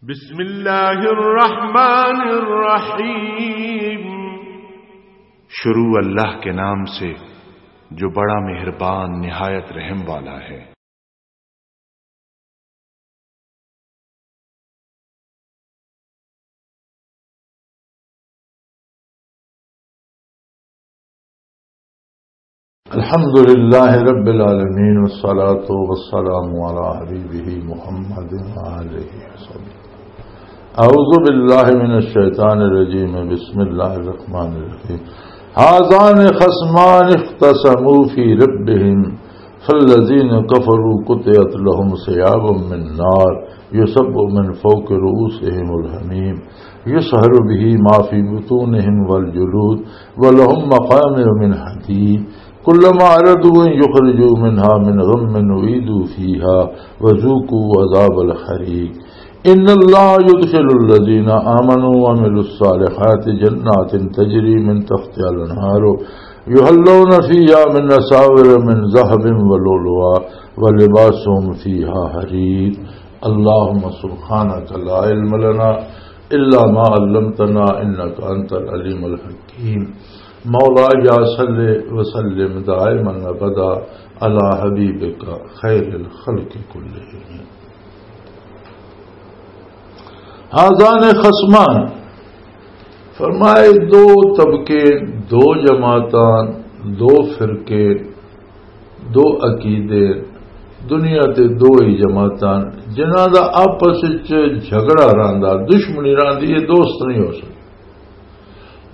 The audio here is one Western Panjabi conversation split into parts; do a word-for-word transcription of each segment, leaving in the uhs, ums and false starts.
بسم اللہ الرحمن الرحیم۔ شروع اللہ کے نام سے جو بڑا مہربان نہایت رحم والا ہے۔ الحمد لله رب العالمين، والصلاة والسلام على حبيبه محمد وآله وصحبه. أعوذ بالله من الشيطان الرجيم. بسم الله الرحمن الرحيم. هذان خصمان اختصموا في ربهم فالذين كفروا قطعت لهم ثياب من نار يصب من فوق رؤوسهم الحميم يصهر به ما في بطونهم والجلود ولهم مقامع من حديد كلما أرادوا أن يخرجوا منها من غم أعيدوا فيها وذوقوا عذاب الحريق. إن الله يدخل الذين آمنوا وعملوا الصالحات جنات تجري من تحتها الأنهار يحلون فيها من أساور من ذهب ولؤلؤا ولباسهم فيها حرير. اللهم سبحانك لا علم لنا إلا ما علمتنا إنك أنت العليم الحكيم. مولاي صل وسلم دائما أبدا على حبيبك خير الخلق كلهم. هذان خصمان، فرمائے، دو طبقے، دو جماعتاں، دو فرقے، دو عقیدے، دنیا تے دو ہی جماعتاں، جنہاں دا آپس وچ جھگڑا رہندا، دشمنی رہندی، یہ دوست نہیں ہو سکدے۔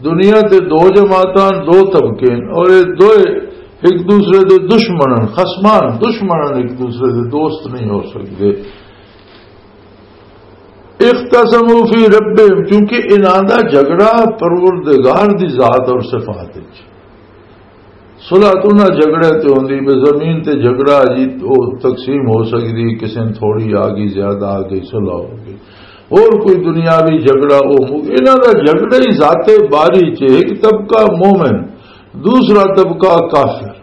دنیا تے دو جماعتاں، دو طبقے ہیں، اور یہ دوئے ایک دوسرے دے دشمن ہیں، خصمان، دشمن ہیں، ایک دوسرے دے دوست نہیں ہو سکدے۔ اختصموا فی ربہم، کیونکہ انہاں دا جھگڑا پروردگار دی ذات اور صفات وچ۔ صلح تو نہ جھگڑے تے ہوندی، بے زمین تے جھگڑا جی، او تقسیم ہو سکدی، کسے نے تھوڑی آ گئی، زیادہ آ گئی، صلح ہو گئی۔ اور کوئی دنیاوی جھگڑا، او مو-، انہاں دا جھگڑا ہی ذات باری چ، ایک طبقہ مومن، دوسرا طبقہ کافر۔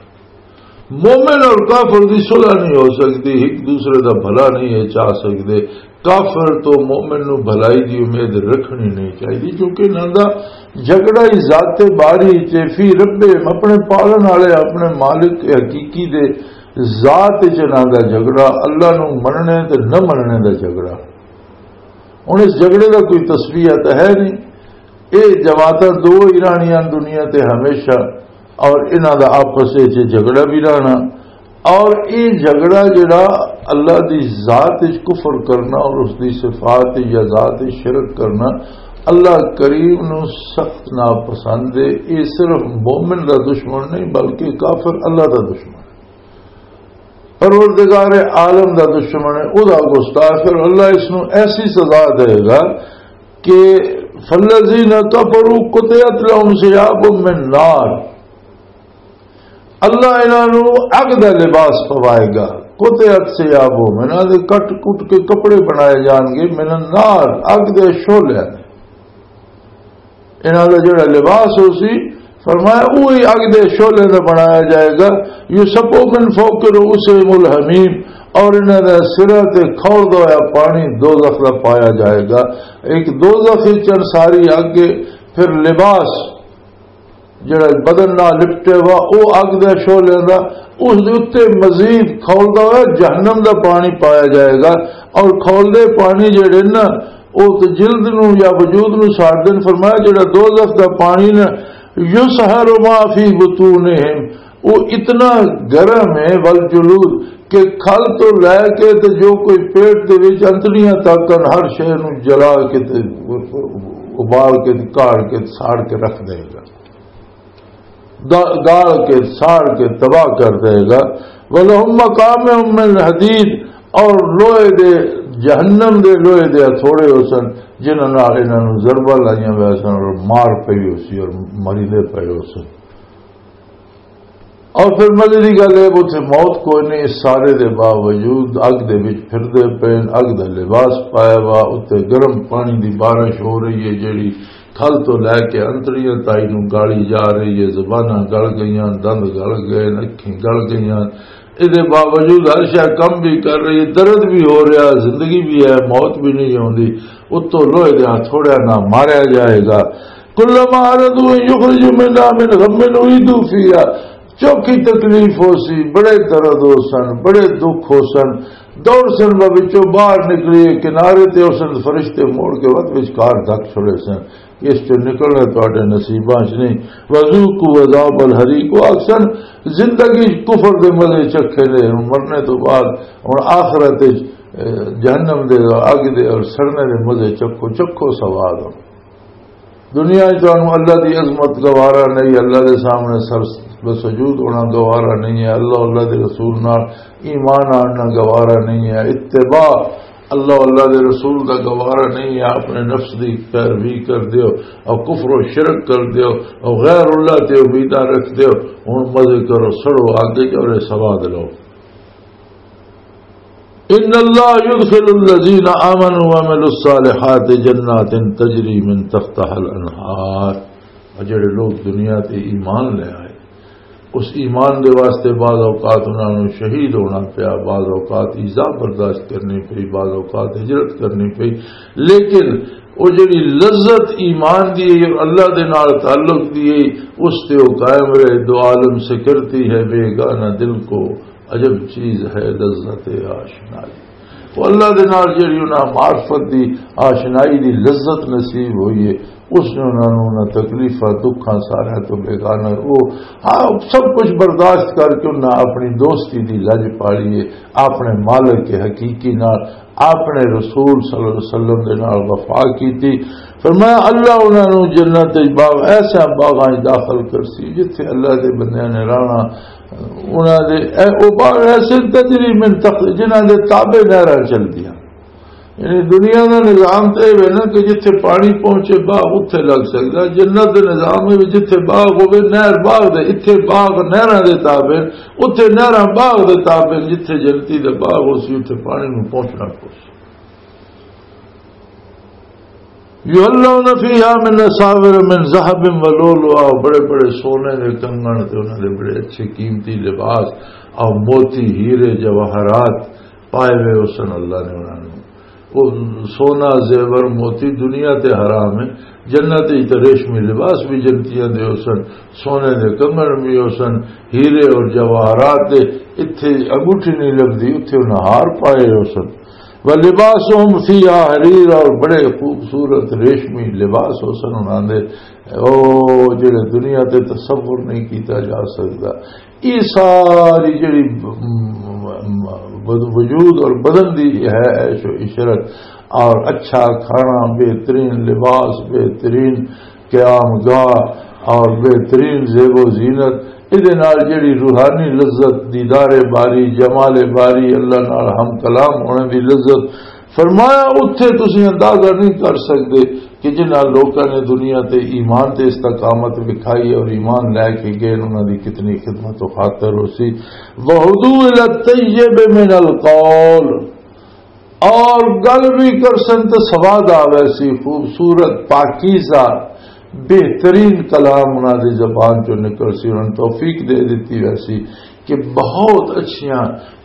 مومن اور کافر دی صلح نہیں ہو سکدی، ایک دوسرے دا بھلا نہیں ہے چاہ سکدے۔ کافر تو مومن نو بھلائی دی امید رکھنی نہیں چاہیے، کیونکہ انہاں دا جھگڑا ہی ذات باری چ، فی ربہم، اپنے پالن والے، اپنے مالک حقیقی دے ذات چ انہاں دا جھگڑا، اللہ نو مننے تے نہ مننے دا جھگڑا۔ ہن اس جھگڑے دا کوئی تصفیہ تاں ہے نہیں۔ اے جماعتاں دو ہی رہنیاں دنیا تے ہمیشہ، اور انہاں دا آپس وچ جھگڑا بھی رہنا، اور اے جھگڑا جڑا اللہ دی ذات وچ کفر کرنا اور اس دی صفات یا ذات وچ شرک کرنا اللہ کریم نو سخت ناپسند ہے۔ اے صرف مومن دا دشمن نہیں، بلکہ کافر اللہ دا دشمن ہے۔ پروردگار عالم دا دشمن ہے، او دا گستاخ ہے۔ اللہ اس نو ایسی سزا دے گا کہ فالذین کفروا قطعت لهم ثياب من نار، اللہ انہاں نو اگ دا لباس پوائے گا۔ قطعت ثيابهم، انہاں دے کٹ کٹ کے کپڑے بنائے جان گے، من النار، اگ دے شعلے۔ انہاں دا جڑا لباس ہو سی، فرمایا، وہی اگ دے شعلے دا بنایا جائے گا۔ یصب من فوق رؤوسهم الحمیم، اور انہاں دے سراں تے کھولدا ہویا پانی دوزخ دا پایا جائے گا۔ ایک دوزخ وچ ساری اگ ہے، پھر لباس جڑا بدن نال لپٹے ہوا، او اگ دے شعلے دا، اس دے اُتے مزید کھولدا ہویا جہنم دا پانی پایا جائے گا۔ اور کھولدے پانی جڑے نا، او تے جلد نو یا وجود نو ساڑ دین۔ فرمایا، جڑا دوزخ دا پانی نا، یصہر ما فی بطونہم، او اتنا گرم ہے، والجلود، کہ کھل تو لے کے تے جو کوئی پیٹ دے وچ انتڑیاں تک ہن، ہر شے نو جلا کے تے ابال کے تے کاڑ کے تے ساڑ کے رکھ دے گا۔ دا-، گال کے، ساڑ کے تباہ کر دے گا۔ وَلَهُمْ مَقَامِعُ مِنْ حَدِيدٍ، اور لوہے دے، جہنم دے لوہے دے ہتھوڑے ہو سن، جنہاں نال انہاں نوں ضربہ لائیاں ہوئے سن اور مار پئی ہو سی اور مریندے پئے ہو سن۔ اور پھر مزے دی گل ہے، اتھے موت کوئی نہیں، اس سارے دے باوجود اگ دے وچ پھردے پئے، اگ دا لباس پایا وا، اتھے گرم پانی دی بارش ہو رہی ہے، جیڑی کھل تو لے کے انتڑیاں تائی نوں گالی جا رہی ہے، زباناں گل گئیاں، دند گل گئے، اکھیں گل گئیاں، اس دے باوجود ہر شے کم بھی کر رہی ہے، درد بھی ہو رہا، زندگی بھی ہے، موت بھی نہیں آوندی، اتوں لوہے دے ہتھوڑیاں نال ماریا جائے گا۔ کلما ارادوا ان یخرجوا منها من غم اعیدوا فیها، چوکھی تکلیف ہو سی، بڑے درد ہو سن، بڑے دکھ ہو سن، دوڑ سن، وہ وچوں باہر نکلیے، کنارے تے ہو سن، فرشتے موڑ کے وقت وچ کار دھک چھڑے سن۔ اس چوں نکلنا تہاڈے نصیباں چ نہیں۔ وذوقوا عذاب الحریق، وہ آکھسن زندگی چ کفر دے مزے چکھے نے، ہن مرنے تو بعد، ہن آخرت وچ، اے، جہنم دے، اگ دے اور سڑنے دے مزے چکھو، چکھو سواد ہن۔ دنیا وچ تانوں اللہ دی عظمت گوارا نہیں، اللہ دے سامنے سر بسجود ہونا گوارا نہیں ہے، اللہ، اللہ دے رسول نال ایمان آننا گوارا نہیں ہے۔ اتباع اللہ، اللہ دے رسول دا گوارا نہیں ہے، اپنے نفس دی پیروی کر دیو اور کفر و شرک کر دیو اور غیر اللہ تے امیداں رکھ دیو۔ ہن مزے کرو، سڑو آگے جو رے سواد لو۔ ان اللہ یدخل الذین آمنوا وعملوا الصالحات جنات تجری من تحتها الانہار۔ اور جڑے لوگ دنیا تے ایمان لے آئے، اس ایمان دے واسطے بعض اوقات انہاں نوں شہید ہونا پیا، بعض اوقات ایذا برداشت کرنی پئی، بعض اوقات ہجرت کرنی پئی، لیکن وہ جڑی لذت ایمان دی ہے اور اللہ دے نال تعلق دی ہے، اس تے وہ قائم رہے۔ دو عالم سے کرتی ہے بیگانہ دل کو، عجب چیز ہے لذت آشنائی۔ وہ اللہ دے نال جڑی انہاں معرفت دی، آشنائی دی لذت نصیب ہوئی ہے، اس نے انہاں نوں انہاں تکلیفاں، دکھاں ساریاں تو بیگانہ، وہ، ہاں، سب کچھ برداشت کر کے انہاں اپنی دوستی دی لج پالی ہے، اپنے مالک کے حقیقی نال، اپنے رسول صلی اللہ علیہ وسلم دے نال وفا کیتی۔ فرمایا، اللہ انہاں نوں جنت وچ باغ، ایسا باغاں وچ داخل کرسی جتھے اللہ دے بندیاں نے رہنا۔ انہاں دے، اے، او باغ ایسے تجری من تحت، جنہاں دے تابع نہراں چلدیاں۔ یعنی دنیا دا نظام تے اے وے نا کہ جتھے پانی پہنچے، باغ اتھے لگ سکدا۔ جنت دے نظام اے وے، جتھے باغ ہوے، نہر باغ دے، اتھے باغ نہراں دے تابع، اتھے نہراں باغ دے تابع، جتھے جنتی دے باغ ہو سی، اتھے پانی نوں پہنچنا پوسی۔ یحلون فیہا من اساور من ذہب و لؤلؤا، بڑے بڑے سونے دے کنگن تے انہاں دے بڑے اچھے قیمتی لباس، اور موتی، ہیرے، جواہرات پائے ہوئے حسن اللہ نے انہاں نوں۔ وہ سونا، زیور، موتی دنیا تے حرام ہے، جنت وچ تے ریشمی لباس بھی جنتیاں دے حسن، سونے دے کنگن بھی حسن، ہیرے اور جواہرات دے، اتھے انگوٹھی نہیں لبدی، اتھے انہاں ہار پائے حسن۔ ولباسهم فیہا حریر، اور بڑے خوبصورت ریشمی لباس حسن انہاں دے، او جڑے دنیا تے تصور نہیں کیتا جا سکدا۔ یہ ساری جڑی م-، م-، م-، وجود اور بدن دی ہے عیش و عشرت اور اچھا کھانا، بہترین لباس، بہترین قیام گاہ اور بہترین زیب و زینت، اس دے نال جڑی روحانی لذت، دیدار باری، جمال باری، اللہ نال ہم کلام ہونے دی لذت، فرمایا، اتھے تسی اندازہ نہیں کر سکدے کہ جنہاں لوکاں نے دنیا تے ایمان تے استقامت وکھائی اور ایمان لے کے گئے، انہاں دی کتنی خدمت و خاطر ہو سی۔ وہدو الی الطیب من القول، اور گل بھی کر سن تے سواد آوے سی، خوبصورت، پاکیزہ، بہترین کلام انہاں دی زبان چوں نکل سی، انہاں نوں توفیق دے دتی ویسی کہ بہت اچھیاں،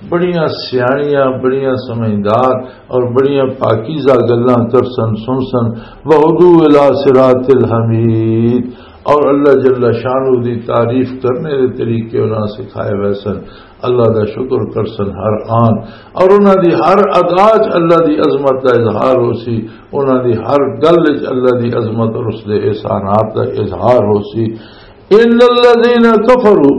بڑیاں سیاحیاں، بڑیاں سمجھدار اور بڑیاں پاکیزہ گلاں کر سن، سن سن۔ وہدو الی صراط الحمید، اور اللہ جل شانہ دی تعریف کرنے دے طریقے انہاں سکھائے ہوئے سن، اللہ دا شکر کر سن ہر آن، اور انہاں دی ہر ادا چ اللہ دی عظمت دا اظہار ہو سی، انہاں دی ہر گل چ اللہ دی عظمت اور اس دے احسانات دا اظہار ہو سی۔ ان الذین کفروا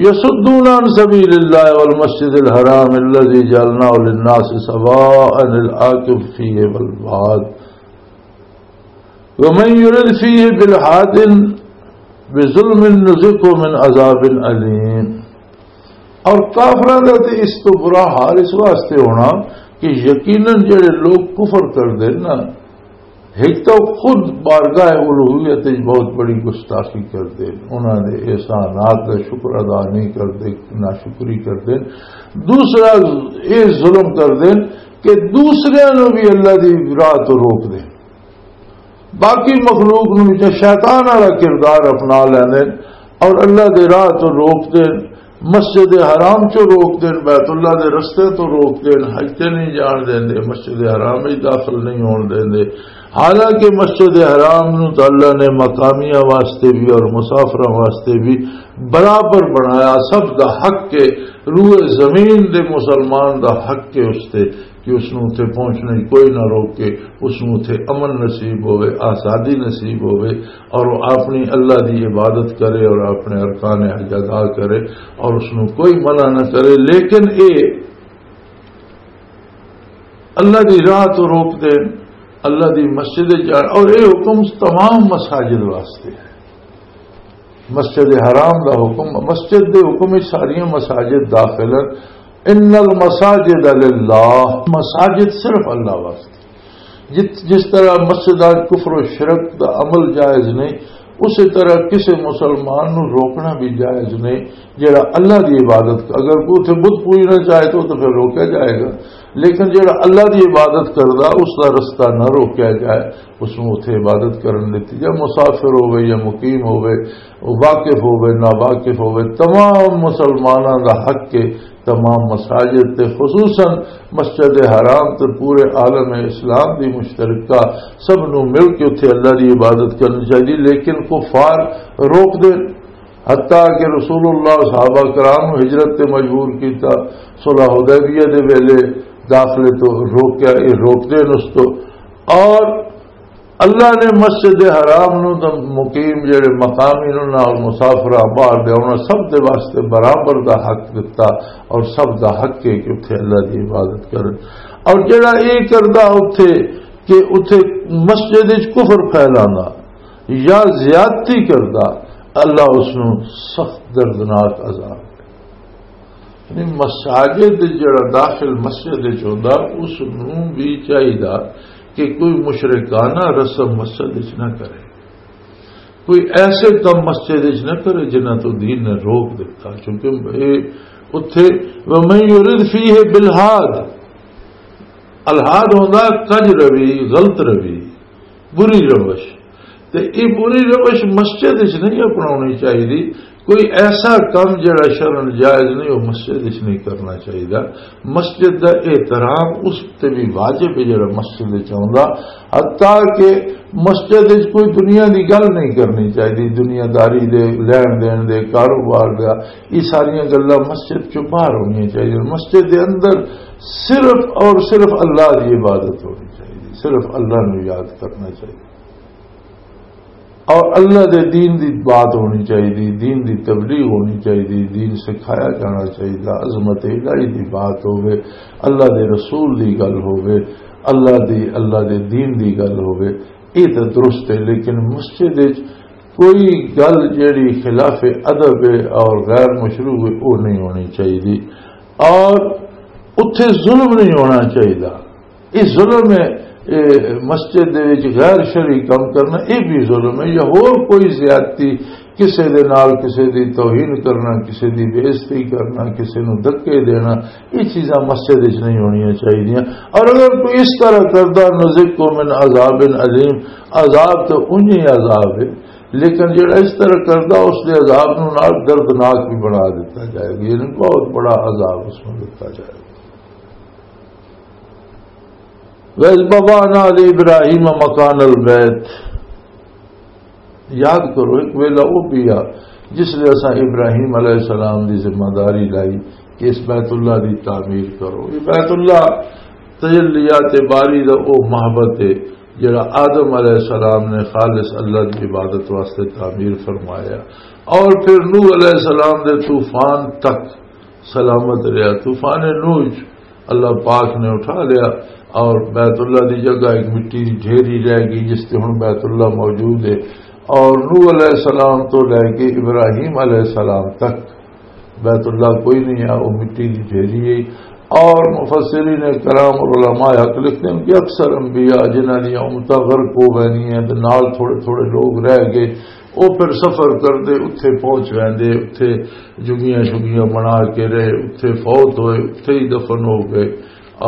یصدون عن سبیل اللہ والمسجد الحرام الذی جعلناہ للناس سواء العاکف فیہ والباد ومن یرد فیہ بالحاد بظلم نذقہ من عذاب علیم۔ اور کافراں دا تے اس تو برا حال اس واسطے ہونا کہ یقیناً جڑے لوگ کفر کر دے نا، ایک تو خود بارگاہ الوہیت وچ بہت بڑی گستاخی کردے، انہاں دے احسانات دا شکر ادا نہیں کردے، ناشکری کردے۔ دوسرا، یہ ظلم کردے کہ دوسریاں نوں بھی اللہ دی راہ تو روک دے، باقی مخلوق نوں بھی شیطان والا کردار اپنا لیندے اور اللہ دے راہ تو روک دے۔ مسجد حرام چوں روک دین، بیت اللہ دے رستے تو روک دین، حج تے نہیں جان دیندے، مسجد حرام وچ داخل نہیں ہون دیندے۔ حالانکہ مسجد حرام نو تو اللہ نے مقامیاں واسطے بھی اور مسافراں واسطے بھی برابر بنایا، سب دا حق ہے، روئے زمین دے مسلمان دا حق ہے اس تے کہ اس نو اتھے پہنچنے کوئی نہ روکے، اس نو اتھے امن نصیب ہوئے، آزادی نصیب ہوئے، اور وہ اپنی اللہ دی عبادت کرے اور اپنے ارکان حج ادا کرے اور اس نو کوئی منع نہ کرے۔ لیکن اے اللہ دی راہ تو روک دے، اللہ دی مسجد جان، اور اے حکم تمام مساجد واسطے ہے۔ مسجد حرام دا حکم، مسجد دے حکم وچ ساریاں مساجد داخل ہیں۔ ان المساجد للہ، مساجد صرف اللہ واسطے۔ جت-، جس طرح مسجداں کفر و شرک دا عمل جائز نہیں، اسی طرح کسی مسلمان نو روکنا بھی جائز نہیں جڑا اللہ دی عبادت، اگر کوئی اتھے بت پوجنا چاہے تو، تو پھر روکیا جائے گا، لیکن جڑا اللہ دی عبادت کردا اس دا رستہ نہ روکیا جائے، اس نوں اتھے عبادت کرن دتی جائے، مسافر ہووے یا مقیم ہووے، واقف ہووے، ناواقف ہووے، تمام مسلماناں دا حق ہے تمام مساجد تے، خصوصاً مسجد حرام تے پورے عالم اسلام دی مشترکہ، سب نوں مل کے اتھے اللہ دی عبادت کرنی چاہیے۔ لیکن کفار روک دے، حتیٰ کہ رسول اللہ صحابہ کرام نوں ہجرت تے مجبور کیتا، صلح حدیبیہ دے ویلے داخلے تو روکیا، یہ روک دے اس تو۔ اور اللہ نے مسجد حرام نو تے مقیم جڑے مقامی نو نال مسافر آباد دے، انہاں سب دے واسطے برابر دا حق دتا، اور سب دا حق ہے کہ اتھے اللہ دی عبادت کرن۔ اور جڑا یہ کردا اتھے کہ اتھے مسجد وچ کفر پھیلانا یا زیادتی کردا، اللہ اس نو سخت دردناک عذاب۔ یعنی مساجد جڑا داخل مسجد وچ ہوندا، اس نوں بھی چاہیدا کہ کوئی مشرکانہ رسم مسجد وچ نہ کرے، کوئی ایسے کم مسجد وچ نہ کرے جنہاں تو دین نے روک دیتا، کیونکہ اے اتھے وَمَن يُرِدْ فِيهِ بِإِلْحَادٍ، الحاد ہوندا کج روی، غلط روی، بری روش۔ تے یہ بری روش مسجد وچ نہیں اپناونی چاہیے۔ کوئی ایسا کم جڑا شرعاً جائز نہیں، وہ مسجد وچ نہیں کرنا چاہیے۔ مسجد دا احترام اس تے بھی واجب ہے جڑا مسجد وچ آوندا، حتیٰ کہ مسجد وچ کوئی دنیا دی گل نہیں کرنی چاہیے، دنیا داری دے، لین دین دے، کاروبار دا، یہ ساریاں گلاں مسجد چوں باہر ہونیاں چاہیے۔ مسجد دے اندر صرف اور صرف اللہ دی عبادت ہونی چاہیے، صرف اللہ نو یاد کرنا چاہیے۔ اور اللہ دے دین دی بات ہونی چاہیے، دین دی تبلیغ ہونی چاہیے، دین سکھایا جانا چاہیے، عظمت الہی دی بات ہوے، اللہ دے رسول دی گل ہوے، اللہ دی، اللہ دے دین دی گل ہوے، یہ تو درست ہے۔ لیکن مسجد وچ کوئی گل جیڑی خلاف ادب ہے اور غیر مشروع ہے، وہ نہیں ہونی چاہیے۔ اور اتھے ظلم نہیں ہونا چاہیے۔ یہ ظلم ہے، اے مسجد دے وچ غیر شرعی کام کرنا، یہ بھی ظلم ہے۔ یا ہور کوئی زیادتی، کسے دے نال کسے دی توہین کرنا، کسے دی بے عزتی کرنا، کسے نو دھکے دینا، یہ چیزاں مسجد وچ نہیں ہونیاں چاہیدیاں۔ اور اگر کوئی اس طرح کردا، نذقہ من عذاب الیم، عذاب تو انہی عذاب ہے، لیکن جڑا اس طرح کردا، اس دے عذاب نو نال دردناک بھی بنا دیتا جائے گا، یعنی بہت بڑا عذاب اس میں دیتا جائے گا۔ وَإِذْ بَوَّأْنَا لِإِبْرَاهِيمَ مَكَانَ الْبَيْتِ، یاد کرو، ایک ویلا وہ پیا جس لئے اساں ابراہیم علیہ السلام دی ذمہ داری لائی کہ اس بیت اللہ دی تعمیر کرو۔ یہ بیت اللہ تجلیات باری دا وہ معبد ہے جڑا آدم علیہ السلام نے خالص اللہ دی عبادت واسطے تعمیر فرمایا، اور پھر نوح علیہ السلام دے طوفان تک سلامت رہا۔ طوفان نوح وچ اللہ پاک نے اٹھا لیا اور بیت اللہ دی جگہ ایک مٹی دی ڈھیری رہ گئی، جس تے ہن بیت اللہ موجود ہے۔ اور نوح علیہ السلام تو لے کے ابراہیم علیہ السلام تک بیت اللہ کوئی نہیں ہے، وہ مٹی دی ڈھیری ہے۔ اور مفسرین کرام اور علماء حق لکھتے ہیں کہ اکثر انبیاء جنہاں دی امتاں غرق ہو گئی ہیں تے نال تھوڑے تھوڑے لوگ رہ گئے، وہ پھر سفر کردے اتھے پہنچ ویندے، اتھے جگیاں شگیاں بنا کے رہے، اتھے فوت ہوئے، اتھے ہی دفن ہو گئے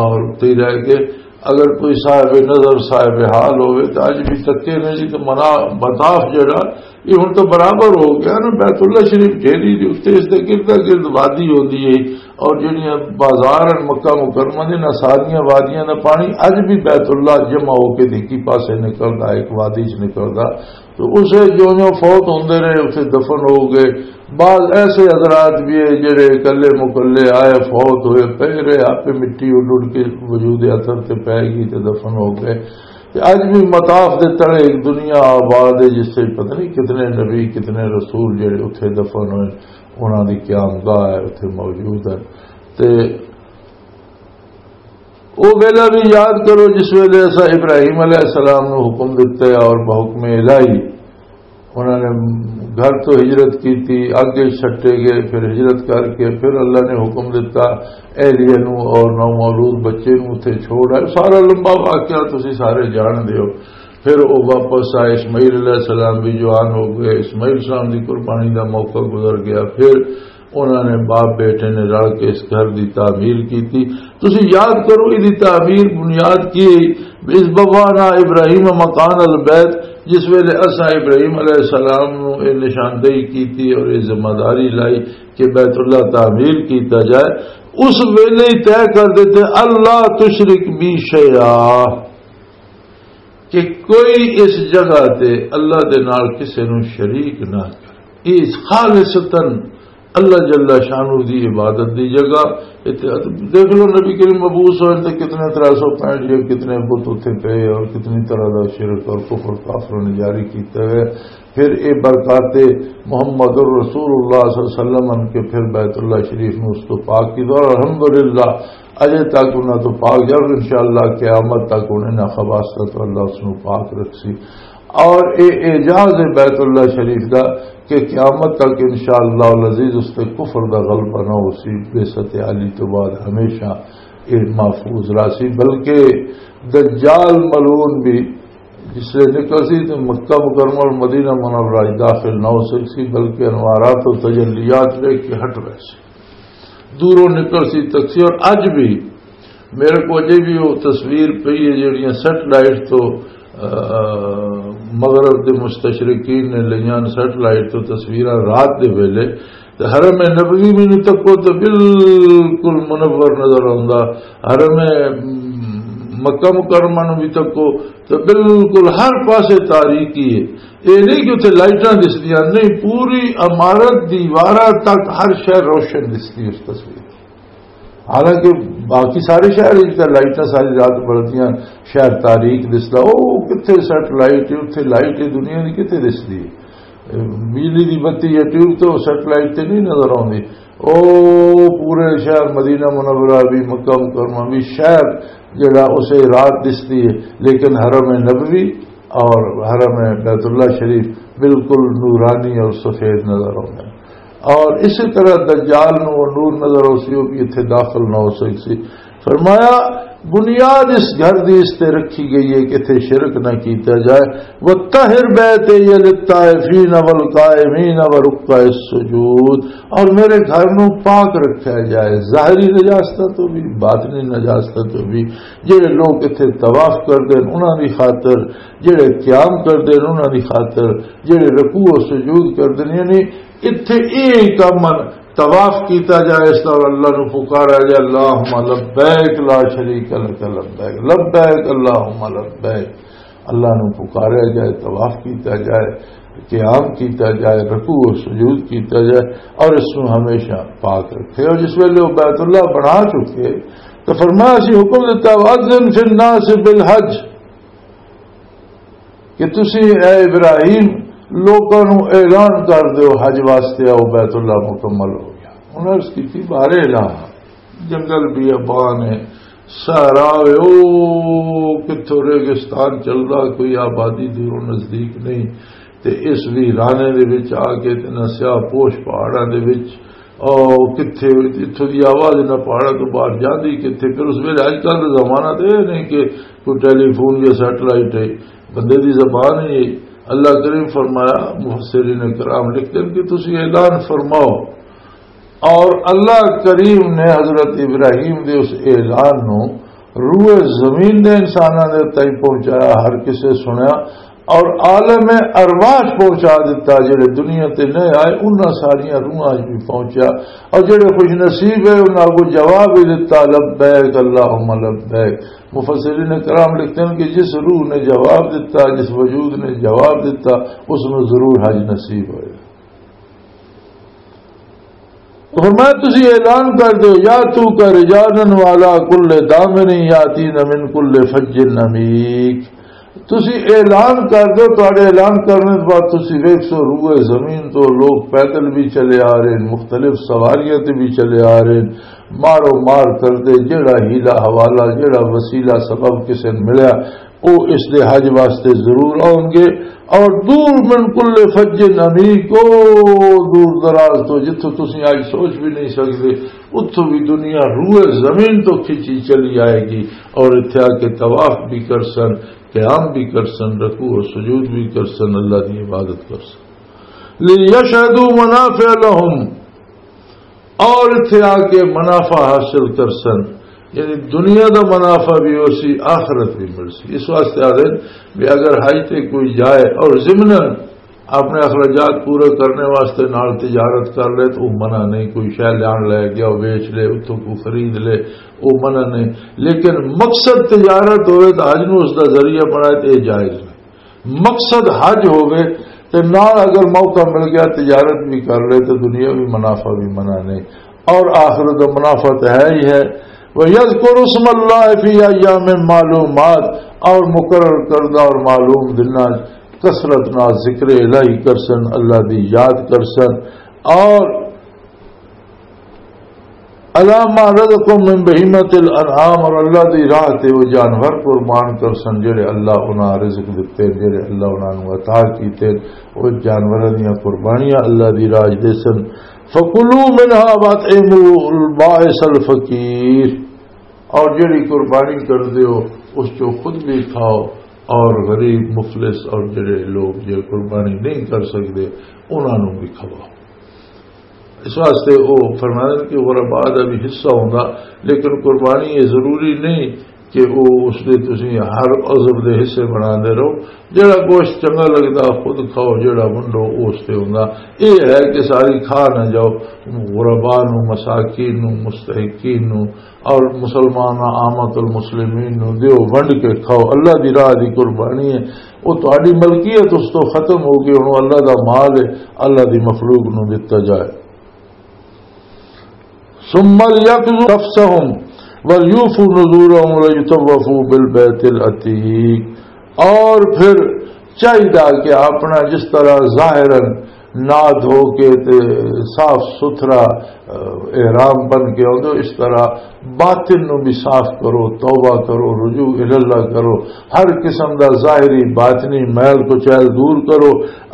اور اتھے ہی رہ گئے۔ اگر کوئی صاحب نظر، صاحب حال ہوئے تو اج بھی تکے نے جی، تو منا مطاف جڑا یہ ہن تو برابر ہو گیا نا، بیت اللہ شریف ڈھیری دے اتنے اس دے گردا گرد وادی ہوندی ہے، اور جڑیاں بازار ہیں مکہ مکرمہ دے، نہ ساریاں وادیاں دا پانی اج بھی بیت اللہ جمع ہو کے دیکی پاسے نکلدا، ایک وادی چ نکلدا۔ تو اسے جو جو فوت ہوندے رہے، اسے دفن ہو گئے۔ بعض ایسے حضرات بھی ہیں جڑے اکلے مکلے آئے، فوت ہوئے، پے رہے، آپ مٹی اڈ اڈ کے وجود اثر تے پے گئی تے دفن ہو گئے۔ تے اج بھی مطاف دے تلے ایک دنیا آباد ہے، جس سے پتہ نہیں کتنے نبی، کتنے رسول جڑے اتھے دفن ہوئے، انہاں دی قیام گاہ ہے، اتھے موجود ہے۔ تے او ویلا بھی یاد کرو، جس ویلے اسا ابراہیم علیہ السلام نو حکم دتا ہے اور بحکم الہی انہاں نے گھر تو ہجرت کی تھی، آگے چھٹے گئے، پھر ہجرت کر کے پھر اللہ نے حکم دتا اہلیہ نو اور نومولود بچے نو اتھے چھوڑ آئے۔ سارا لمبا واقعہ تسی سارے جان دیو۔ پھر وہ واپس آئے، اسماعیل علیہ السلام بھی جوان ہو گئے، اسماعیل السلام دی قربانی دا موقع گزر گیا۔ پھر انہاں نے باپ بیٹے نے رل کے اس گھر دی تعمیر کی تھی۔ تسی یاد کرو، اس دی تعمیر بنیاد کی ہے؟ اس بوانا ابراہیم مکان البیت، جس ویلے اساں ابراہیم علیہ السلام نو یہ نشاندہی کی تھی اور یہ ذمہ داری لائی کہ بیت اللہ تعمیر کیتا جائے، اس ویلے ہی طے کر دیتے، اللہ تشرک بی شیئا، کہ کوئی اس جگہ تے اللہ دے نال کسے نوں شریک نہ کرے۔ یہ خالصتاً اللہ جل شانہ دی عبادت دی جگہ۔ اتھے دیکھ لو، نبی کریم مبعوث ہوئے تے کتنے ترے سو پینٹ یا کتنے بت اتھے پے اور کتنی طرح دا شرک اور کفر کافروں نے جاری کیتا ہے۔ پھر اے برکات محمد رسول اللہ صلی اللہ علیہ وسلم ان کے پھر بیت اللہ شریف میں اس کو پاک کی دعا۔ الحمدللہ، اجے تک انہاں تو پاک جا، اور انشاءاللہ قیامت تک انہیں نہ خباثت تو اللہ اس نو پاک رکھ سی۔ اور اے اعجاز بیت اللہ شریف دا کہ قیامت تک انشاءاللہ العزیز اس تے کفر دا غلبہ نہ ہو سی، بے ست علی تو بعد ہمیشہ اے محفوظ رہا سی، بلکہ دجال ملعون بھی جس سے نکل سی تو مکہ مکرمہ اور مدینہ منورہ وچ داخل نہ ہو سک سی، بلکہ انوارات و تجلیات لے کے ہٹ رہے سی۔ دوروں نکل سی تک سی۔ اور اج بھی میرے کو اجے بھی وہ تصویر پئی ہے جہڑیاں سیٹلائٹ تو، آ، مغرب دے مستشرقین نے لئیاں سیٹلائٹ تو تصویراں رات دے ویلے، تے حرم نبوی مینوں تکو تے بالکل منور نظر آوندا۔ حرم مکہ مکرمہ نوں بھی تکو تے بالکل ہر پاسے تاریکی ہے۔ یہ نہیں کہ اتنے لائٹاں دسدیاں، نہیں، پوری عمارت دیواراں تک ہر شے روشن دسدی اس تصویر۔ حالانکہ باقی سارے شہر وچ تاں لائٹاں ساری رات بلدیاں، شہر تاریک دسدا۔ او کتھے سیٹلائٹ ہے، اتھے لائٹ ہے، دنیا دی کتھے دسدی ہے؟ بجلی دی بتی یا ٹیوب تو سیٹلائٹ تے نہیں نظر آوندی۔ او پورے شہر مدینہ منورہ بھی، مکہ مکرمہ بھی، شہر جڑا اسے رات دسدی ہے، لیکن حرم نبوی اور حرم بیت اللہ شریف بالکل نورانی اور سفید نظر آتے ہیں۔ اور اسی طرح دجال نو وہ نور نظر آسی، وہ بھی اتھے داخل نہ ہو سکسی۔ فرمایا، بنیاد اس گھر دی اس تے رکھی گئی ہے کہ اتھے شرک نہ کیتا جائے۔ وَطَهِّرْ بَيْتِيَّ لِلطَّائِفِينَ وَالْقَائِمِينَ وَرُكَّعِ السُّجُودِ، اور میرے گھر نو پاک رکھا جائے ظاہری نجاستوں تو بھی، باطنی نجاستوں تو بھی۔ جڑے لوگ اتھے طواف کردے نے انہاں دی خاطر، جڑے قیام کردے نے انہاں دی خاطر، جڑے رکوع و سجود کردے نے، یعنی اتھے ایہہ کم طواف کیتا جائے، اس طرح اللہ نو پکارا جائے، اللہم لبیک لا شریک لک لبیک، لبیک اللہم لبیک۔ اللہ نو پکارا جائے، طواف کیتا جائے، قیام کیتا جائے، رکوع و سجود کیتا جائے، اور اس نو ہمیشہ پاک رکھے۔ اور جس ویلے وہ بیت اللہ بنا چکے تو فرمایا، اسی حکم دیتا، وَأَذِّن فِي النَّاسِ بِالْحَجِّ، کہ تسی اے ابراہیم لوکاں نو اعلان کر دیو حج واسطے آؤ، بیت اللہ مکمل ہو گیا۔ انہاں عرض کی تھی، بارے اعلان، جنگل بیابان ہے، صحرا ہے، او کتھوں ریگستان چلدا، کوئی آبادی دوروں نزدیک نہیں۔ تے اس ویرانے دے وچ آ کے تے نہ سیاہ پوش پہاڑاں دے وچ، او کتھے اتھوں دی آواز نہ پہاڑاں تو باہر جاندی کتھے۔ پھر اس ویلے، اج کل دا زمانہ تے یہ نہیں کہ کوئی ٹیلی فون یا سیٹلائٹ ہے، بندے دی زبان ہی ہے۔ اللہ کریم فرمایا، مفسرین کرام لکھتے ہیں کہ تسی اعلان فرماؤ۔ اور اللہ کریم نے حضرت ابراہیم دے اس اعلان نو روئے زمین دے انساناں دے تائیں پہنچایا، ہر کسے سنیا۔ اور عالم ارواح پہنچا دیتا، جڑے دنیا تے نہ آئے، انہاں ساریاں روحاں وچ بھی پہنچیا۔ اور جڑے خوش نصیب ہے، انہاں کو جواب ہی دیتا، "لبیک اللہم لبیک۔" مفسرین کرام لکھتے ہیں کہ جس روح نے جواب دیتا، جس وجود نے جواب دیتا، اس میں ضرور حج نصیب ہوئے۔ تو فرمایا، تسی اعلان کر دو، یا تو کا رجالن والا کل دامن یاتین من کل فج عمیق۔ تسی اعلان کر دو، تہاڈے اعلان کرنے بعد تسی ویکھسو، روئے زمین تو لوگ پیدل بھی چلے آ رہے ہیں، مختلف سواریاں تے بھی چلے آ رہے ہیں، مارو مار کردے، جیڑا ہیلا حوالہ، جیڑا وسیلہ سبب کسے نے ملیا، او اس دے حج واسطے ضرور آؤں گے۔ اور دور من کل فج عمیق، او دور دراز تو جتھوں تسی اج سوچ بھی نہیں سکدے، اتھوں بھی دنیا روئے زمین تو کھچی چلی آئے گی اور اتھے آ کے طواف بھی کرسن، قیام بھی کرسن، رکوع و سجود بھی کرسن، اللہ دی عبادت کرسن۔ لیشہدوا منافع لہم، اور اتھے آ کے منافع حاصل کرسن، یعنی دنیا دا منافع بھی ہو سی، آخرت بھی مل سی۔ اس واسطے آدھے بھی اگر حج تے کوئی جائے اور ضمن اپنے اخراجات پورے کرنے واسطے نال تجارت کر لے تو وہ منع نہیں، کوئی شے لیان لے گیا، وہ بیچ لے، اتھوں کو خرید لے، وہ منع نہیں۔ لیکن مقصد تجارت ہوئے تو حج نو اس دا ذریعہ بنائے تو یہ جائز نہیں۔ مقصد حج ہووے تے نال اگر موقع مل گیا تجارت بھی کر لے تے دنیا بھی منافع بھی منع نہیں، اور آخرت دا منافع تے ہے ہی ہے۔ وَيَذْكُرُوا اسْمَ اللَّهِ فِي أَيَّامٍ مَّعْلُومَاتٍ، اور مقرر کردہ اور معلوم دناں کثرت نال ذکر الہی کرسن، اللہ دی یاد کرسن، اور علامہ رزقکم من بہیمۃ الانعام، اور اللہ دی راہ تے وہ جانور قربان کرسن جڑے اللہ انہاں رزق دتے، جڑے اللہ انہاں نوں عطا کیتے، وہ جانوراں دیاں قربانیاں اللہ دی راہ دے سن۔ فکلوا منها واطعموا البائس الفقیر، اور جڑی قربانی کر دیو اس چوں خود بھی کھاؤ، اور غریب مفلس اور جڑے لوگ جے قربانی نہیں کر سکتے انہاں نوں بھی کھواؤ۔ اس واسطے وہ فرمایا کہ غربا دا بھی حصہ ہوندا، لیکن قربانی یہ ضروری نہیں کہ وہ اس دے تسی ہر عضو دے حصے بنا دے رہو۔ جڑا گوشت چنگا لگدا خود کھاؤ، جڑا ونڈو وہ اس تے ہوندا۔ یہ ہے کہ ساری کھا نہ جاؤ، غربا نو، مساکین نو، مستحقین نو، اور مسلمان عامت المسلمین نو دیو، ونڈ کے کھاؤ۔ اللہ دی راہ دی قربانی ہے، وہ تہاڈی ملکیت اس تو ختم ہو گئی، ہن اللہ دا مال ہے، اللہ دی مخلوق نو دتا جائے۔ ثم ليقضوا تفثهم وليوفوا نذورهم وليطوفوا بالبيت العتيق۔ اور پھر چاہیدا کہ اپنا جس طرح ظاہراً ناد ہو کے تے صاف ستھرا، اہ، احرام بن کے آؤ، اس طرح باطن نو بھی صاف کرو، توبہ کرو، رجوع الاللہ کرو، ہر قسم دا ظاہری باطنی میل کو چیل دور کرو۔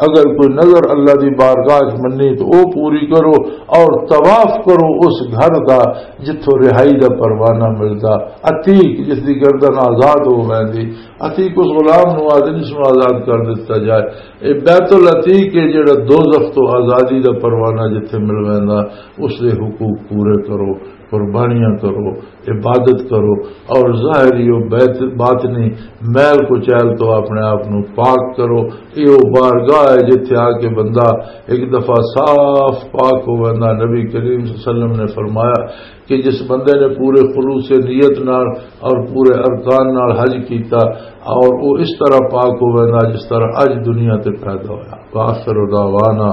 اگر کوئی نظر اللہ دی بارگاہ چ منی تو او پوری کرو، اور طواف کرو اس گھر دا جتھوں رہائی دا پروانہ ملدا۔ عتیق جس دی گردن آزاد ہو ویندی، عتیق اس غلام نو آدھے جس نو آزاد کر دتا جائے۔ اے بیت العتیق ہے جڑا دوزخ تو آزادی دا پروانہ جتھے مل ویندا، اس دے حقوق پورے کرو، قربانیاں کرو، عبادت کرو، اور ظاہری و بیت-، باطنی میل کو چیل تو اپنے آپ نو پاک کرو۔ یہ وہ بارگاہ ہے جتھے آ کے بندہ ایک دفعہ صاف پاک ہو ویندا۔ نبی کریم صلی اللہ علیہ وسلم نے فرمایا کہ جس بندے نے پورے خلوص نیت نال اور پورے ارکان نال حج کیتا، اور وہ اس طرح پاک ہو ویندا جس طرح اج دنیا تے پیدا ہویا۔ وآخر دعوانا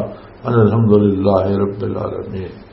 ان الحمدللہ رب العالمین۔